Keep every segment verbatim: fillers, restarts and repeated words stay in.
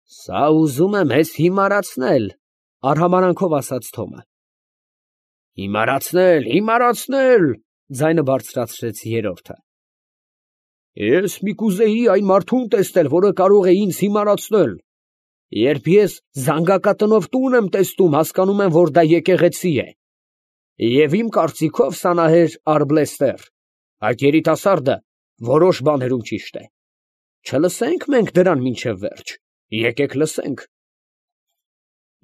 Սա ուզում է մեզ հիմարացնել, արհամարանքով ասաց Թոմը։ Հիմարացնել, հիմարացնել, ձայնը բարձրացրեց երրորդը։ Ես մի կուզեի այն մարդուն տեսնել, որը կարող է ինձ հիմարացնել։ Երբ ես զանգակատնով տուն եմ տեսնում, հասկանում եմ, որ դա եկեղեցի է։ Եվ իմ կարծիքով Սանահեր Արգլեստեր, այդ երիտասարդը որոշ բաներում ճիշտ է։ Չլսենք մենք դրան մինչև վերջ, եկեք լսենք։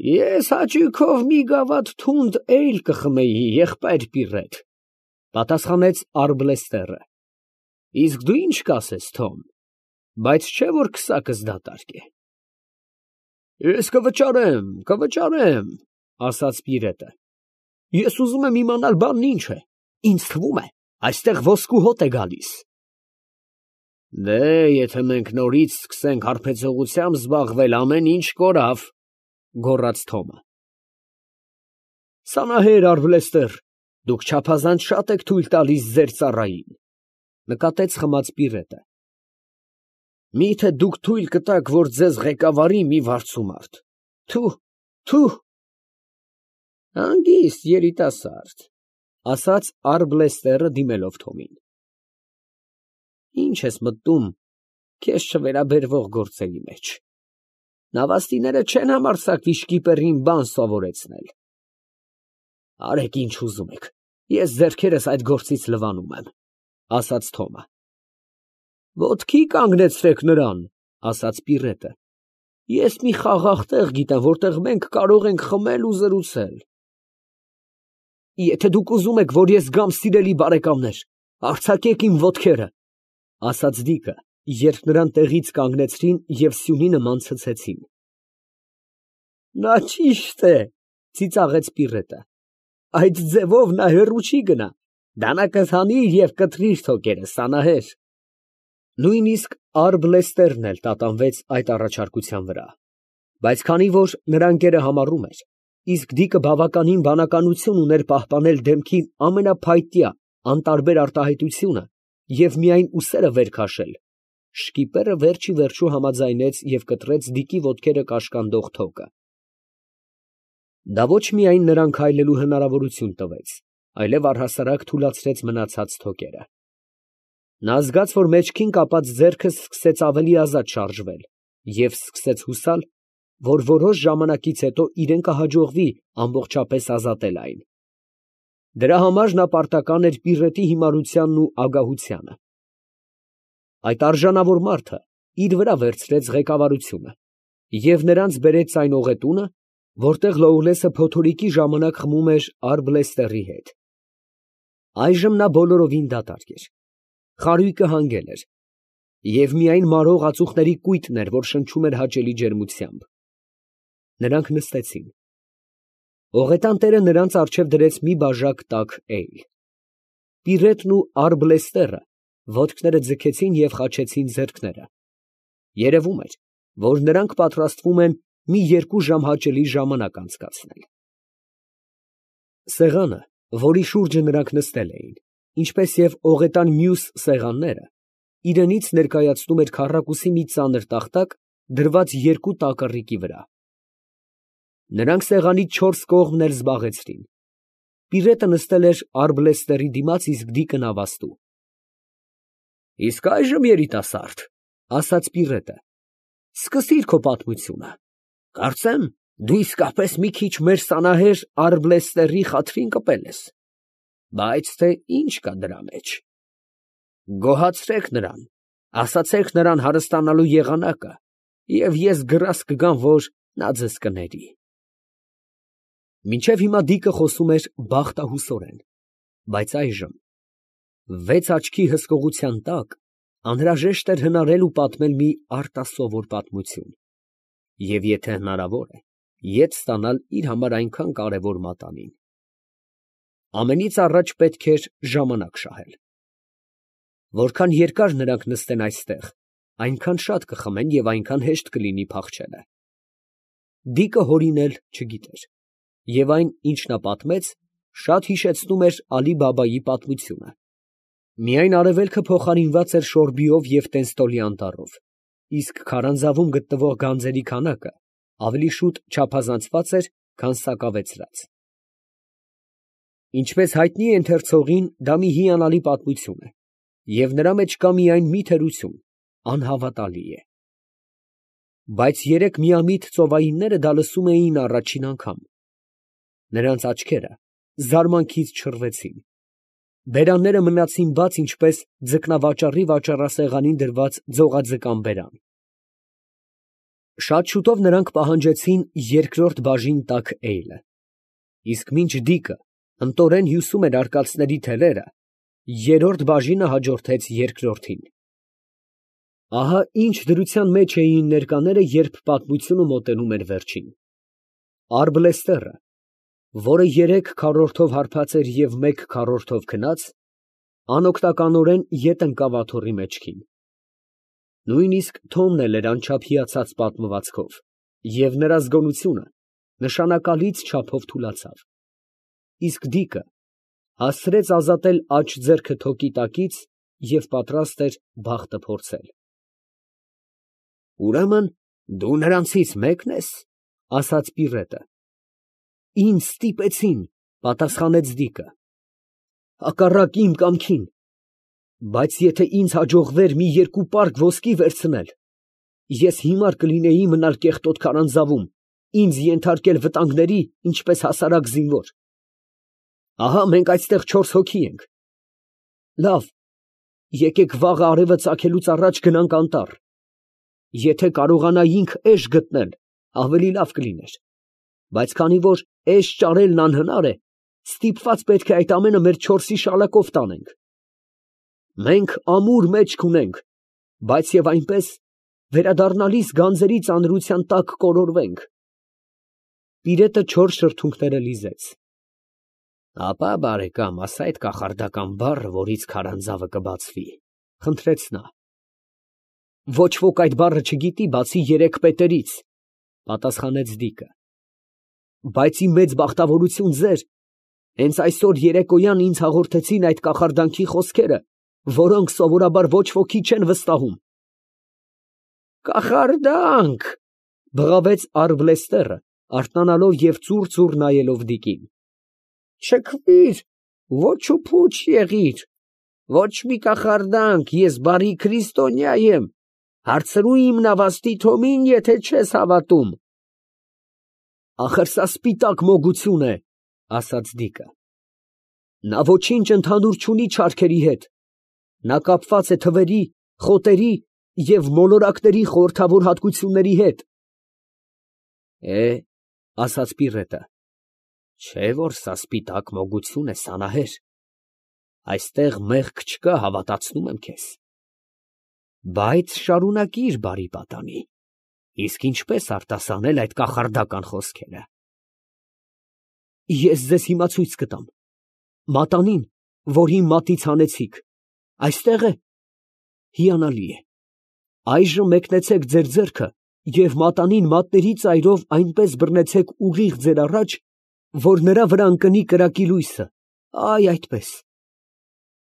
Ես հաճույքով մի գավաթ թունդ էյլ կխմեի, եղբայր Պիրետ, պատասխանեց Արգլեստերը։ Իսկ դու ինչ կասես, Թոմ, բայց չէ որ քսակս դատարկ է։ Ես կվճարեմ, կվճարեմ, ասաց Պիրետը։ Ես ուզում եմ իմանալ բանն ինչ է, ինձ թվում է, այստեղ ոսկու հոտ է գալիս։ Դե, եթե մենք նորից սկսենք հարբեցողությամբ զբաղվել, ամեն ինչ կորավ, գոռաց Թոմը։ Սանահեր Արգլեստեր, դուք չափազանց շատ եք թույլ տալիս ձեր ծառային, նկատեց խմած Պիրետը։ Միթե դուք թույլ կտաք, որ ձեզ ղեկավարի մի վարձումարդ։ Թու, թու։ Հանգիստ երիտասարդ, ասաց Արգլեստերը դիմելով Թոմին։ Ինչ ես մտնում քեզ չվերաբերվող գործերի մեջ։ Նավաստիները չեն համարձակվի շկիպերին բան սովորեցնել։ Արեք ինչ ուզում եք, ես ձեռքերս այդ գործից լվանում եմ, ասաց Թոմը։ Ոտքի կանգնեցրեք նրան, ասաց Պիրետը։ Ես մի խաղաղ տեղ գիտեմ, որտեղ մենք կարող ենք խմել ու զրուցել։ Եթե դուք ուզում եք, որ ես գամ, սիրելի բարեկամներ, արձակեք իմ ոտքերը, ասաց Դիկը, երբ նրան տեղից կանգնեցրին և սյունի նման ցցեցին։ Նա ճիշտ է, ծիծաղեց Պիրետը։ Այդ ձևով նա հեռու չի գնա, դանա կհանի և կտրիր թոկերը, Սանահեր։ Նույնիսկ Արգլեստերն էլ տատանվեց այդ առաջարկության վրա, բայց քանի որ նրա ընկերը համառում էր, իսկ Դիկը բավականին բանականություն ուներ պահպանել դեմքի ամենափայտյա, անտարբեր արտահայտությունը և միայն ուսերը վեր քաշել, շկիպերը վերջ ի վերջո համաձայնեց և կտրեց Դիկի ոտքերը կաշկանդող թոկը։ Դա ոչ միայն նրան քայլելու հնարավորություն տվեց, այլև առհասարակ թուլացրեց մնացած թոկերը։ Նա զգաց, որ մեջքին կապած ձեռքը սկսեց ավելի ազատ շարժվել և սկսեց հուսալ, որ որոշ ժամանակից հետո իրեն կհաջողվի ամբողջապես ազատել այն։ Դրա համար նա պարտական էր Պիրետի հիմարությանն ու ագահությանը։ Այդ արժանավոր մարդը իր վրա վերցրեց ղեկավարությունը և նրանց բերեց այն օղետունը, որտեղ Լոուլեսը փոթորիկի ժամանակ խմում էր Արգլեստերի հետ։ Այժմ նա բոլորովին դատարկ էր։ Խարույկը հանգել էր, և միայն մարող ածուխների կույտն էր, որ շնչում էր հաճելի ջերմությամբ։ Նրանք նստեցին։ Ողետան տերը նրանց առջև դրեց մի բաժակ տաք էյլ։ Պիրետն ու Արգլեստերը ոտքները ձգեցին և խաչեցին ձեռքները։ Երևում էր, որ նրանք պատրաստվում են մի երկու ժամ հաճելի ժամանակ անցկացնել։ Սեղանը, որի շուրջը նրանք նստել էին, ինչպես և ողետան մյուս սեղանները, իրենից ներկայացնում էր քառակուսի մի ծանր տախտակ, դրված երկու տակառիկի վրա։ Նրանք սեղանի չորս կողմն էլ զբաղեցրին։ Պիրետը նստել էր Արգլեստերի դիմաց, իսկ Դիկը նավաստու։ Իսկ այժմ, երիտասարդ, ասաց Պիրետը, սկսիր քո պատմությունը։ Կարծեմ, դու իսկապես մի քիչ մեր Սանահեր Արգլեստերի խաթրին կպել ես, բայց թե ինչ կա դրա մեջ։ Գոհացրեք նրան, ասացեք նրան հարստանալու եղանակը, և ես գրազ կգամ, որ նա ձեզ կների։ Մինչև հիմա Դիկը խոսում էր բախտահուսորեն, բայց այժմ, վեց աչքի հսկողության տակ, անհրաժեշտ էր հնարել ու պատմել մի արտասովոր պատմություն, և եթե հնարավոր է, ետ ստանալ իր համար այնքան կարևոր մատանին։ Ամենից առաջ պետք էր ժամանակ շահել։ Որքան երկար նրանք նստեն այստեղ, այնքան շատ կխմեն և այնքան հեշտ կլինի փախչելը։ Դիկը հորինել չգիտեր, և այն, ինչ նա պատմեց, շատ հիշեցնում էր Ալի֊Բաբայի պատմությունը։ Միայն արևելքը փոխարինված էր Շորբիով և Տենստոլի անտառով, իսկ քարանձավում գտնվող գանձերի քանակը ավելի շուտ չափազանցված էր, քան սակավեցրած։ Ինչպես հայտնի է ընթերցողին, դա մի հիանալի պատմություն է, և նրա մեջ կա միայն մի թերություն, անհավատալի է։ Բայց երեք միամիտ ծովայինները դա լսում էին առաջին անգամ։ Նրանց աչքերը զարմանքից չռվեցին։ Բերանները մնացին բաց, ինչպես ձկնավաճառի վաճառասեղանին դրված ձողաձկան բերան։ Շատ շուտով նրանք պահանջեցին երկրորդ բաժին տաք էյլը, իսկ մինչ Դիկը ընտորեն հյուսում էր արկածների թելերը, երրորդ բաժինը հաջորդեց երկրորդին։ Ահա ինչ դրության մեջ էին ներկաները, երբ պատմությունը մոտենում էր վերջին։ Արբլեստերը, որը երեք քառորդով հարբած էր և մեկ քառորդով քնած, անօգնականորեն ետ ընկավ աթոռի մեջքին։ Նույնիսկ Թոմն էլ էր անչափ հիացած պատմվածքով, և նրա զգոնությունը նշանակալից չափով թուլացավ, իսկ Դիկը հասցրեց ազատել աջ ձեռքը թոկի տակից և պատրաստ էր բախտը փորձել։ ֊ Ուրեմն դու նրանցից մեկն ես, ֊ ասաց Պիրրետը։ ֊ Ինձ ստիպեցին, ֊ պատասխանեց Դիկը։ ֊ Հակառակ իմ կամքին, բայց եթե ինձ հաջողվեր մի երկու պարկ ոսկի վերցնել, ես հիմար կլինեի մնալ կեղտոտ քարանձավում, ինձ ենթարկել վտանգների, ինչպես հասարակ զինվոր։ Ահա մենք այստեղ չորս հոգի ենք։ Լավ, եկեք վաղը արևը ծագելուց առաջ գնանք անտառ։ Եթե կարողանայինք էշ գտնել, ավելի լավ կլիներ, բայց քանի որ էշ ճարելն անհնար է, ստիպված պետք է այդ ամենը մեր չորսի շալակով տանենք։ Մենք ամուր մեջք ունենք, բայց և այնպես վերադառնալիս գանձերի ծանրության տակ կորորվենք։ Պիրետը չոր շրթունքները լիզեց։ Ապա, բարեկամ, ասա այդ կախարդական բառը, որից քարանձավը կբացվի, ֊ խնդրեց նա։ Ոչ ոք այդ բառը չգիտի, բացի երեք պետերից, ֊ պատասխանեց Դիկը։ Բայց իմ մեծ բախտավորություն ձեր, հենց այսօր երեկոյան ինձ հաղորդեցին այդ կախարդանքի խոսքերը, որոնք սովորաբար ոչ ոքի չեն վստահում։ Կախարդանք, ֊ բղավեց Արբլեստերը, արթնանալով և ծուռ֊ծուռ նայելով Դիկին։ Չքվիր, ոչ ու փուչ եղիր, ոչ մի կախարդանք, ես բարի քրիստոնյա եմ, հարցրու իմ նավաստի Թոմին, եթե չես հավատում։ Ախր սա սպիտակ մոգություն է, ֊ ասաց Դիկը։ Նա ոչինչ ընդհանուր չունի չարքերի հետ, նա կապված է թվերի, խոտերի և մոլորակների խորհրդավոր հատկությունների հետ։ Է, ֊ ասաց Պիրրետը, չէ՞ որ սա սպիտակ մոգություն է, սանահեր, այստեղ մեղք չկա, հավատացնում եմ քեզ։ Բայց շարունակիր, բարի պատանի, իսկ ինչպես արտասանել այդ կախարդական խոսքերը։ Ես ձեզ հիմա ցույց կտամ, մատանին, որ իմ մատից հանեցիք, այստեղ է։ Հիանալի է, այժմ մեկնեցեք ձեր ձեռքը և մատանին մատների ծայրով այնպես բռնեցեք ուղիղ ձեր առաջ, որ նրա վրա ընկնի կրակի լույսը, այ այդպես։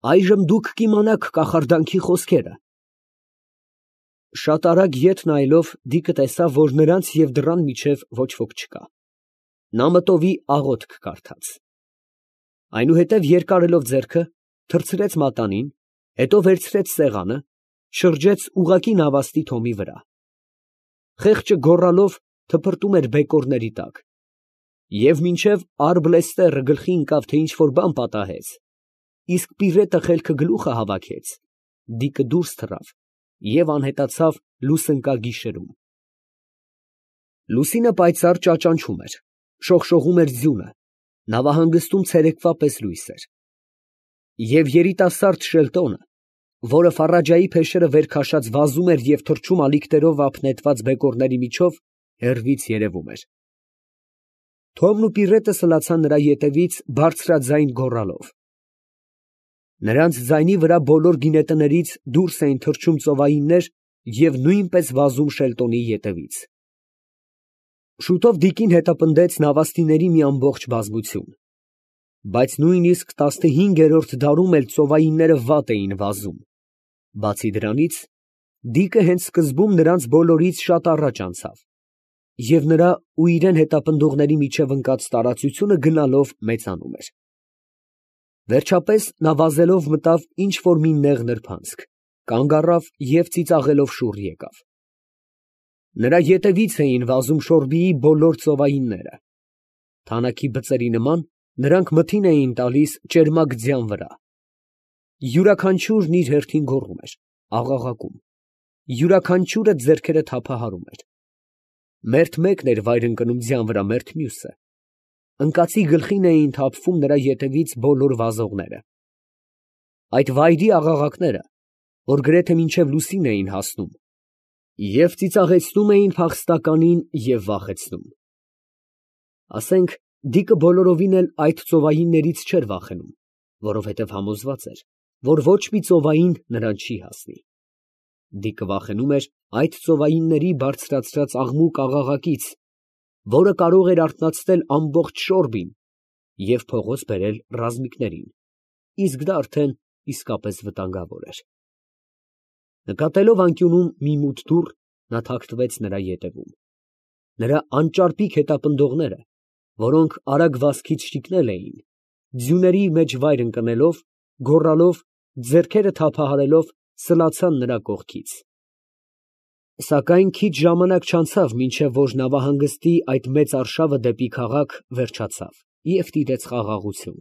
Այժմ դուք կիմանաք կախարդանքի խոսքերը։ Շատ արագ ետ նայելով, Դիկը տեսավ, որ նրանց և դռան միջև ոչ ոք չկա։ Նա մտովի աղոթք կարդաց։ Այնուհետև երկարելով ձեռքը, թռցրեց մատանին, հետո վերցրեց սեղանը, շրջեց ուղղակի նավաստի Թոմի վրա։ Խեղճը գոռալով թփրտում էր բեկորների տակ։ Եվ մինչև Արբլեստերը գլխի ընկավ, թե ինչ֊որ բան պատահեց, իսկ Պիրետը խելքը գլուխը հավաքեց, Դիկը դուրս թռավ և անհետացավ լուսընկագիշերում։ Լուսինը պայծառ ճաճանչում էր, շողշողում էր ձյունը, նավահանգստում ցերեկվա պես լույս էր։ Եվ երիտասարդ Շելտոնը, որը Ֆարաջայի փեշերը վեր քաշած վազում էր և թռչում ալիքներով ափ նետված բեկորների միջով, հեռվից երևում էր։ Թոմն ու Պիրետը սլացան նրա ետևից բարձրաձայն գոռալով։ Նրանց ձայնի վրա բոլոր գինետներից դուրս էին թռչում ծովայիններ և նույնպես վազում Շելտոնի ետևից։ Շուտով Դիկին հետապնդեց նավաստիների մի ամբողջ բազմություն, բայց նույնիսկ տասնհինգերորդ դարում էլ ծովայինները վատ էին վազում, բացի դրանից, Դիկը հենց սկզբում նրանց բոլորից շատ առաջ անցավ, և նրա ու իրան հետապնդողների միջև ընկած տարածությունը գնալով մեծանում էր. վերջապես նա վազելով մտավ ինչ֊որ մի նեղ նրբանցք, կանգ առավ և ծիծաղելով շուռ եկավ. նրա ետևից էին վազում Շորբիի բոլոր ծովայինները. թանաքի բծերի նման նրանք մթին էին տալիս ճերմակ ձյան վրա. յուրաքանչյուրն իր հերթին գոռում էր, աղաղակում, յուրաքանչյուրը ձեռքերը թափահարում էր. մերթ մեկն էր վայր ընկնում ձյան վրա, մերթ մյուսը. ընկածի գլխին էին թափվում նրա ետևից բոլոր վազողները. այդ վայրի աղաղակները, որ գրեթե մինչև լուսին էին հասնում, և ծիծաղեցնում էին փախստականին և վախեցնում. ասենք, Դիկը բոլորովին էլ այդ ծովայիններից չէր վախենում, որովհետև համոզված էր, որ ոչ մի ծովային նրան չի հասնի. Դիկը վախենում էր այդ ծովայինների բարձրացրած աղմուկ աղաղակից, որը կարող էր արթնացնել ամբողջ Շորբին և փողոց բերել ռազմիկներին, իսկ դա արդեն իսկապես վտանգավոր էր. նկատելով անկյունում մի մութ դուռ, նա թաքնվեց նրա ետևում. նրա անճարպիկ հետապնդողները, որոնք արագ վազքից շիկնել էին, ձյուների մեջ վայր ընկնելով, գոռալով, ձեռքերը թափահարելով, սլացան նրա կողքից. սակայն քիչ ժամանակ չանցավ, մինչև որ նավահանգստի այդ մեծ արշավը դեպի քաղաք վերջացավ և տիրեց խաղաղություն.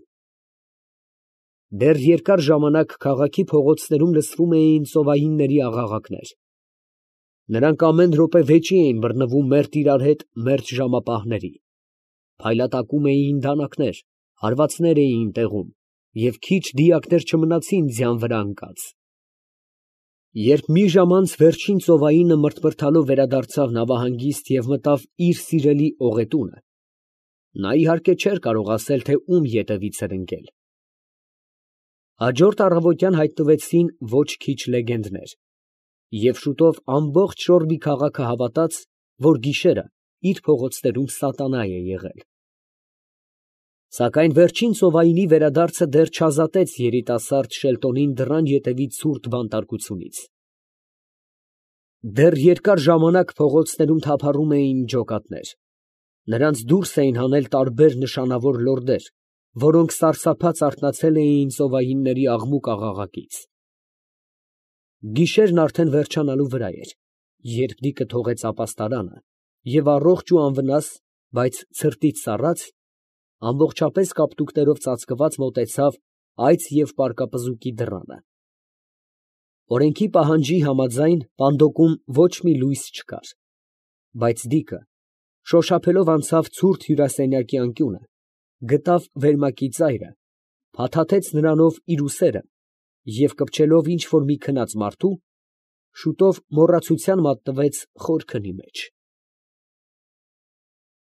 դեռ երկար ժամանակ քաղաքի փողոցներում լսվում էին ծովայինների աղաղակներ. նրանք ամեն րոպե վեճի էին բռնվում մերթ իրար հետ մերթ ժամապահների, փայլատակում էին դանակներ, հարվածներ էին տեղում և քիչ դիակներ չմնացին ձյան վրա ընկած. երբ մի ժամ անց վերջին ծովայինը մրթմրթալով վերադարձավ նավահանգիստ և մտավ իր սիրելի օղետունը, նա իհարկե չէր կարող ասել, թե ում ետևից էր ընկել. հաջորդ առավոտյան հայտնվեցին ոչ քիչ լեգենդներ, և շուտով ամբողջ Շորբի քաղաքը հավատաց, որ գիշերը իր փողոցներում սատանա է եղել. Սակայն վերջին ծովայինի վերադարձը դեռ չազատեց երիտասարդ Շելտոնին դռան ետևի ցուրտ բանտարկությունից. դեռ երկար ժամանակ փողոցներում թափառում էին ջոկատներ, նրանց դուրս էին հանել տարբեր նշանավոր լորդեր, որոնք սարսափած արթնացել էին ծովայինների աղմուկ աղաղակից. գիշերն արդեն վերջանալու վրա էր, երբ Դիկը թողեց ապաստարանը և առողջ ու անվնաս, բայց ցրտից սառած, ամբողջապես կապտուկներով ծածկված մոտեցավ այծ և պարկապզուկի դռանը. օրենքի պահանջի համաձայն պանդոկում ոչ մի լույս չկար, բայց Դիկը շոշափելով անցավ ցուրտ հյուրասենյակի անկյունը, գտավ վերմակի ծայրը, փաթաթեց նրանով իր ուսերը և կպչելով ինչ֊որ մի քնած մարդու, շուտով մոռացության մատնվեց խոր քնի մեջ։